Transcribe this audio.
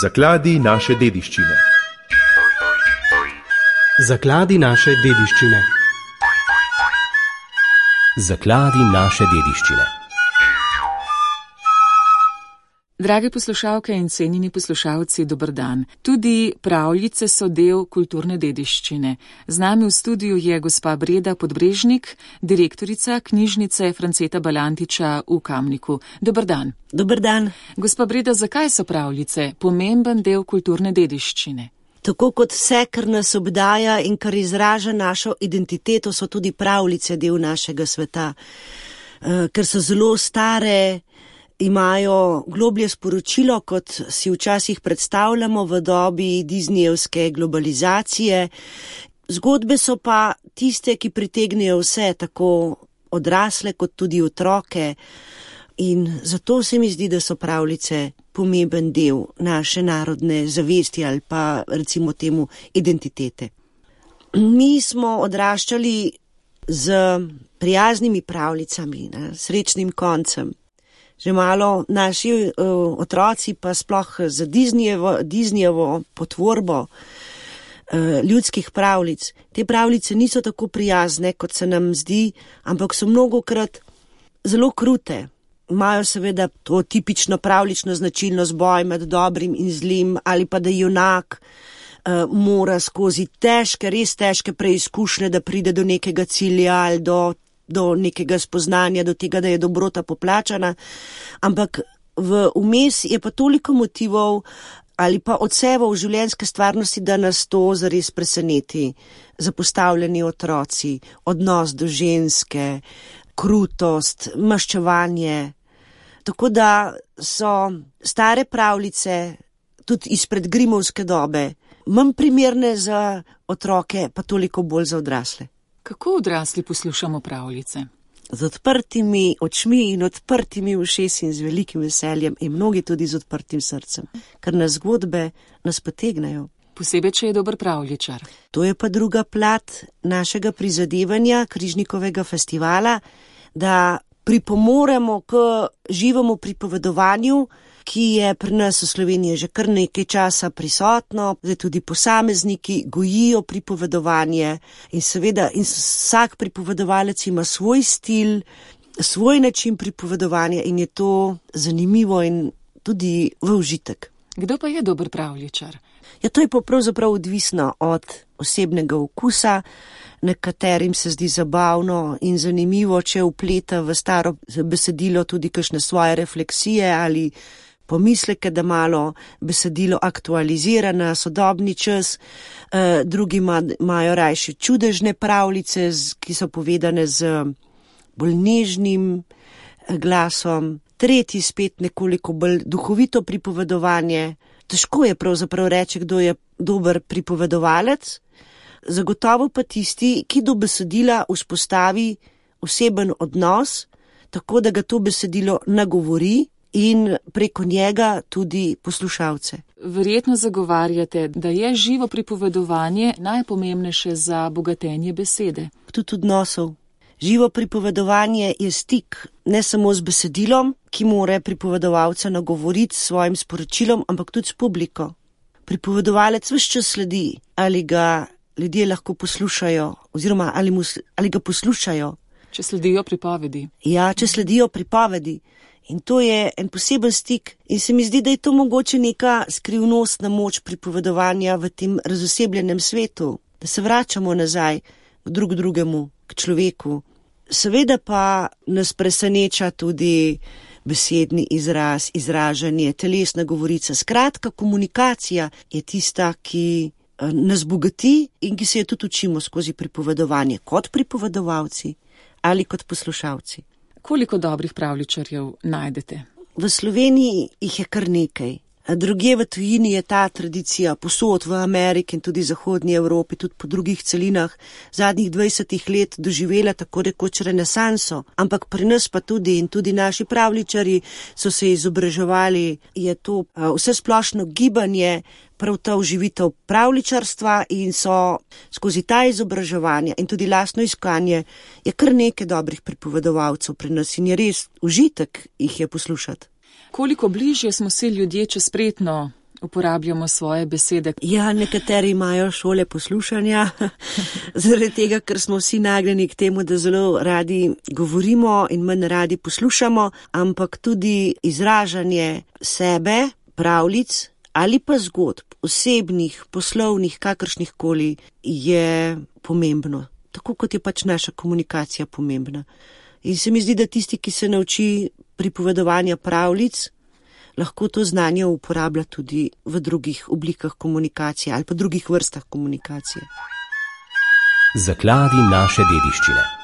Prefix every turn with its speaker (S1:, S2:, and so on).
S1: Zakladi naše dediščine.
S2: Zakladi naše dediščine.
S3: Zakladi naše dediščine.
S4: Drage poslušalke in cenjeni poslušalci, dober dan. Tudi pravljice so del kulturne dediščine. Z nami v studiu je gospa Breda Podbrežnik, direktorica knjižnice Franceta Balantiča v Kamniku. Dober dan.
S5: Dober dan.
S4: Gospa Breda, zakaj so pravljice pomemben del kulturne dediščine?
S5: Tako kot vse, kar nas obdaja in kar izraža našo identiteto, so tudi pravljice del našega sveta. Ker so zelo stare, imajo globlje sporočilo, kot si včasih predstavljamo v dobi Disneyjevske globalizacije. Zgodbe so pa tiste, ki pritegnejo vse, tako odrasle kot tudi otroke. In zato se mi zdi, da so pravljice pomemben del naše narodne zavesti ali pa recimo temu identitete. Mi smo odraščali z prijaznimi pravljicami, srečnim koncem. Že malo naši otroci pa sploh za Disneyjevo potvorbo ljudskih pravljic. Te pravljice niso tako prijazne, kot se nam zdi, ampak so mnogokrat zelo krute. Imajo seveda to tipično pravljično značilnost boj med dobrim in zlim, ali pa da junak mora skozi težke, res težke preizkušnje, da pride do nekega cilja ali do nekega spoznanja, do tega, da je dobrota poplačana, ampak vmes je pa toliko motivov ali pa odsevov življenjske stvarnosti, da nas to zares preseneti. Zapostavljeni otroci, odnos do ženske, krutost, maščevanje. Tako da so stare pravljice, tudi izpred Grimovske dobe, manj primerne za otroke, pa toliko bolj za odrasle.
S4: Kako odrasli poslušamo pravljice?
S5: Z odprtimi očmi in odprtimi ušesi in z velikim veseljem in mnogi tudi z odprtim srcem, ker nas zgodbe nas potegnajo.
S4: Posebej, če je dober pravljičar.
S5: To je pa druga plat našega prizadevanja Križnikovega festivala, da pripomoremo k živemu pripovedovanju, ki je pri nas v Sloveniji že kar nekaj časa prisotno, zdaj tudi posamezniki gojijo pripovedovanje in seveda vsak pripovedovalec ima svoj stil, svoj način pripovedovanja in je to zanimivo in tudi v užitek.
S4: Kdo pa je dober pravljičar?
S5: Ja, to je pa pravzaprav odvisno od osebnega okusa. Nekaterim se zdi zabavno in zanimivo, če vpleta v staro besedilo tudi kakšne svoje refleksije ali pomisleke, da malo besedilo aktualizira na sodobni čas. Drugi imajo rajši čudežne pravljice, ki so povedane z bolj nežnim glasom. Tretji spet nekoliko bolj duhovito pripovedovanje. Težko je pravzaprav reči, kdo je dober pripovedovalec. Zagotovo pa tisti, ki do besedila vzpostavi oseben odnos, tako da ga to besedilo nagovori in preko njega tudi poslušalce.
S4: Verjetno zagovarjate, da je živo pripovedovanje najpomembnejše za bogatenje besede.
S5: Tudi odnosov. Živo pripovedovanje je stik ne samo z besedilom, ki mora pripovedovalca nagovoriti s svojim sporočilom, ampak tudi s publiko. Pripovedovalec ves čas sledi, ali ga ljudje lahko poslušajo, oziroma ali ga poslušajo.
S4: Če sledijo pripovedi.
S5: Ja, če sledijo pripovedi. In to je en poseben stik. In se mi zdi, da je to mogoče neka skrivnostna moč pripovedovanja v tem razosebljenem svetu. Da se vračamo nazaj k drugemu, k človeku. Seveda pa nas preseneča tudi besedni izraz, izražanje, telesna govorica. Skratka, komunikacija je tista, ki nas bogati in ki se je tudi učimo skozi pripovedovanje kot pripovedovalci ali kot poslušalci.
S4: Koliko dobrih pravljičarjev najdete?
S5: V Sloveniji jih je kar nekaj. Drugje v tujini je ta tradicija posod v Ameriki in tudi zahodnji Evropi, tudi po drugih celinah, zadnjih 20 let doživela tako rekoč renesanso, ampak pri nas pa tudi in tudi naši pravljičarji so se izobraževali, je to vse splošno gibanje, prav ta uživitev pravljičarstva in so skozi ta izobraževanja in tudi lastno iskanje je kar nekaj dobrih pripovedovalcev pri nas in je res užitek jih je poslušati.
S4: Koliko bližje smo si ljudje, če spretno uporabljamo svoje besede.
S5: Ja, nekateri imajo šole poslušanja, zaradi tega, ker smo vsi nagnjeni k temu, da zelo radi govorimo in manj radi poslušamo, ampak tudi izražanje sebe, pravljic ali pa zgodb, osebnih, poslovnih, kakršnih koli, je pomembno. Tako kot je pač naša komunikacija pomembna. In se mi zdi, da tisti, ki se nauči pripovedovanja pravljic, lahko to znanje uporablja tudi v drugih oblikah komunikacije ali pa drugih vrstah komunikacije.
S3: Zakladi naše dediščine.